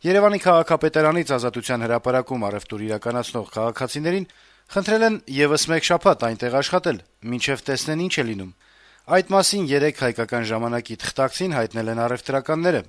Երեւանի քաղաքապետարանից Ազատության հրապարակում առեւտուր իրականացնող քաղաքացիներին խնդրել են եւս մեկ շաբաթ այնտեղ աշխատել, մինչեւ տեսնեն ինչ է լինում: Այդ մասին երեկ «Հայկական ժամանակ»-ի թղթակցին հայտնել են առեւտրականները: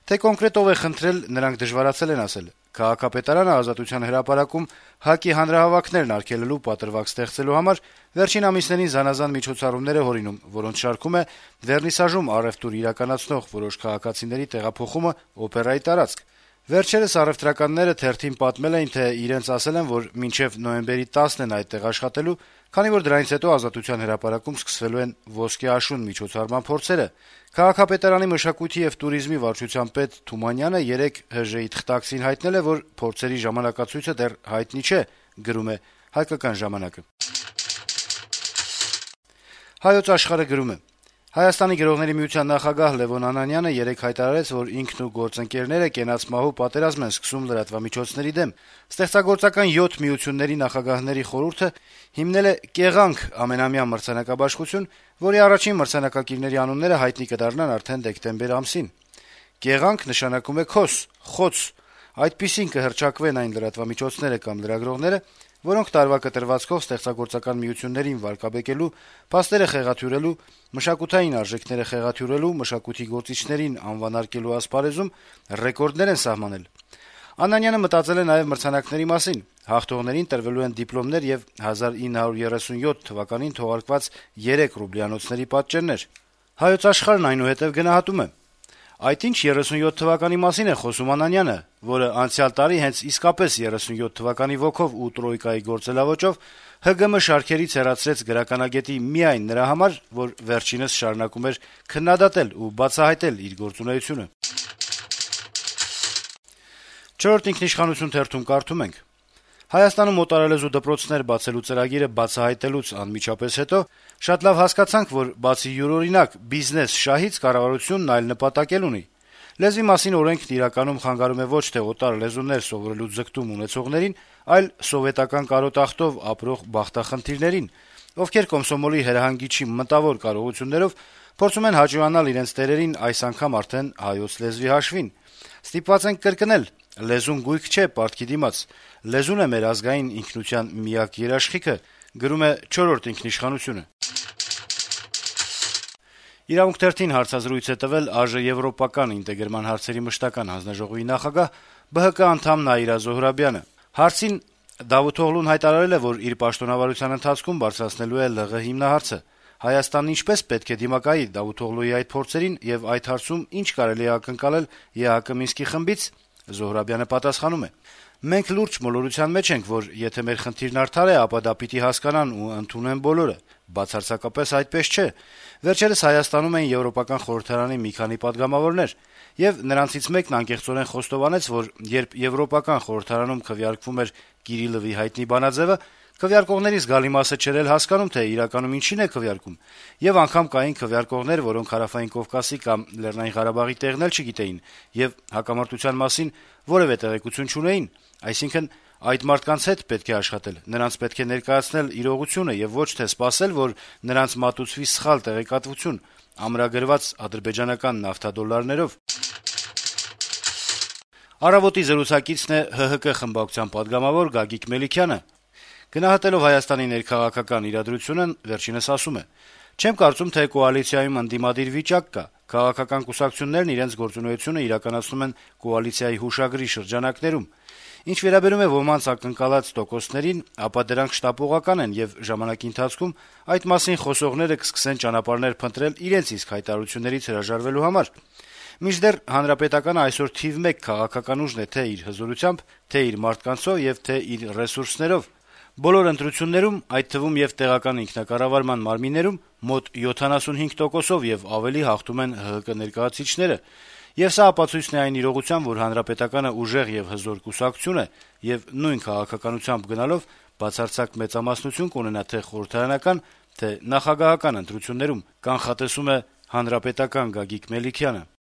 Թե կոնկրետ ով է խնդրել, նրանք դժվարացել են ասել: Քաղաքապետարանը Ազատության հրապարակում ՀԱԿ-ի հանրահավաքներն արգելելու պատրվակ ստեղծելու համար վերջին ամիսներին զանազան միջոցառումներ է հորինում, որոնց շարքում է Վերնիսաժում առեւտուր իրականացնող որոշ քաղաքացիների տեղափոխումը օպերայի տարածք: Վերջերս առեւտրականները թերթին պատմել էին, թե իրենց ասել են, որ մինչեւ նոյեմբերի 10-ն են այդտեղ աշխատելու, քանի որ դրանից հետո Ազատության հրապարակում սկսվելու են «Ոսկե աշուն» միջոցառման փորձերը: Քաղաքապետարանի մշակույթի եւ տուրիզմի վարչության պետ Թումանյանը երեկ ՀԺ-ի թղթակցին հայտնել է, որ փորձերի ժամանակացույցը դեռ հայտնի չէ: Գրում է «Հայկական ժամանակ»-ը: «Հայոց Աշխարհ»-ը գրում է. - «Հայաստանի գրողների միության նախագահ Լեւոն Անանյանը երեկ հայտարարեց, որ ինքն ու գործընկերները կենացմահու պատերազմ են սկսում լրատվամիջոցների դեմ: Ստեղծագործական 7 միությունների նախագահների խորհուրդը հիմնել է «Կեղանք» ամենամյա մրցանակաբաշխություն, որի առաջին մրցանակակիրների անունները հայտնի կդառնան արդեն դեկտեմբեր ամսին: «Կեղանք» նշանակում է «քոս», «խոց»: Այդպիսին կհռչակվեն այն լրատվամիջոցները կամ լրագրողները, որոնք տարվա կտրվածքով ստեղծագործական միություններին վարկաբեկելու, փաստերը խեղաթյուրելու, մշակութային արժեքները խեղաթյուրելու, մշակույթի գործիչներին անվանարկելու ասպարեզում ռեկորդներ են սահմանել: Անանյանը մտածել է նաեւ մրցանակների մասին: Հաղթողներին տրվելու են դիպլոմներ եւ 1937 թվականին թողարկված 3 ռուբլյանոցների պատճեններ»: «Հայոց Աշխարհ»-ն այնուհետեւ գնահատում է. - «Այդ ինչ 37 թվականի մասին է խոսում Անանյանը, որը անցյալ տարի հենց իսկապես 37 թվականի ոգով ու Տրոյկայի գործելաոճով ՀԳՄ շարքերից հեռացրեց գրականագետի միայն նրա համար, որ վերջինս շարունակում էր քննադատել ու բացահայտել իր գործունեությունը»: «Չորրորդ ինքնիշխանություն» թերթում կարդում ենք. - «Հայաստանում օտարալեզու դպրոցներ բացելու ծրագիրը բացահայտելուց անմիջապես հետո շատ լավ հասկացանք, որ բացի յուրօրինակ բիզնես շահից կառավարությունն այլ նպատակ էլ ունի: Լեզվի մասին օրենքն իրականում խանգարում է ոչ թե օտար լեզուներ սովորելու ձգտում ունեցողներին, այլ սովետական կարոտախտով ապրող բախտախնդիրներին, ովքեր կոմսոմոլի հրահանգիչի մտավոր կարողություններով փորձում են հաճոյանալ իրենց տերերին, այս անգամ արդեն հայոց լեզվի հաշվին: Ստիպված ենք կրկնել. լեզուն գույք չէ պարտքի դիմաց: Լեզուն է մեր ազգային ինքնության միակ երաշխիքը»: «Իրավունք» թերթին հարցազրույց է տվել ԱԺ-եվրոպական ինտեգրման հարցերի մշտական հանձնաժողովի նախագահ, ԲՀԿ անդամ Նաիրա Զոհրաբյանը: Հարցին Դավութ Օղլուն հայտարարել է, որ իր պաշտոնավարության ընթացքում բարձրացնելու է ԼՂ հիմնահարցը: Հայաստանն ինչպե՞ս պետք է դիմակայի Դավութ Օղլուի այդ փորձերին եւ այդ հարցում ինչ կարելի է ակնկալել ԵԱՀԿ Մինսկի խմբից: Զոհրաբյանը պատասխանում է. - «Մենք լուրջ մոլորության մեջ ենք, որ եթե մեր խնդիրն արդար է, ապա դա պիտի հասկանան ու ընդունեն բոլորը: Բացարձակապես այդպես չէ: Վերջերս Հայաստանում էին Եվրոպական խորհրդարանի մի քանի պատգամավորներ, եւ նրանցից մեկն անկեղծորեն խոստովանեց, որ երբ Եվրոպական խորհրդարանում քվեարկվում էր Կիրիլովի հայտնի բանաձեւը, քվեարկողների զգալի մասը չէր էլ հասկանում, թե իրականում ինչին է քվեարկում, եւ անգամ կային քվեարկողներ, որոնք Հարավային Կովկասի կամ Լեռնային Ղարաբաղի տեղն էլ չգիտեին եւ հակամարտության մասին որեւէ տեղեկություն չունեին: Այսինքն, այդ մարդկանց հետ պետք է աշխատել, նրանց պետք է ներկայացնել իրողությունը եւ ոչ թե սպասել, որ նրանց մատուցվի սխալ տեղեկատվություն, ամրագրված ադրբեջանական նավթադոլարներով»: «Առավոտ»-ի զրուցակիցն է ՀՀԿ խմբակցության պատգամավոր Գագիկ Մելիքյանը: Գնահատելով Հայաստանի ներքաղաքական իրադրությունն վերջինս ասում է. - «Չեմ կարծում, թե կոալիցիայում ընդդիմադիր վիճակ կա: Քաղաքական կուսակցություններն իրենց գործունեությունը իրականացնում են կոալիցիայի հուշագրի շրջանակներում: Ինչ վերաբերում է ոմանց ակնկալած տոկոսներին, ապա դրանք շտապողական են, եւ ժամանակի ընթացքում այդ մասին խոսողները կսկսեն ճանապարհներ փնտրել իրենց իսկ հայտարարություններից հրաժարվելու համար: Մինչդեռ Հանրապետականը այսօր թիվ 1 քաղաքական ուժն է թե' իր հզորությամբ, թե' իր մարդկանցով եւ թե' իր ռեսուրսներով: Բոլոր ընտրություններում, այդ թվում եւ տեղական ինքնակառավարման մարմիններում մոտ 75%-ով եւ ավելի հաղթում են ՀՀԿ ներկայացուցիչները: Եվ սա ապացույցն է այն իրողության, որ Հանրապետականը ուժեղ եւ հզոր կուսակցություն է, եւ նույն քաղաքականությամբ գնալով բացարձակ մեծամասնություն կունենա թե' խորհրդարանական, թե' նախագահական ընտրություններում», - կանխատեսում է «Հանրապետական» Գագիկ Մելիքյանը: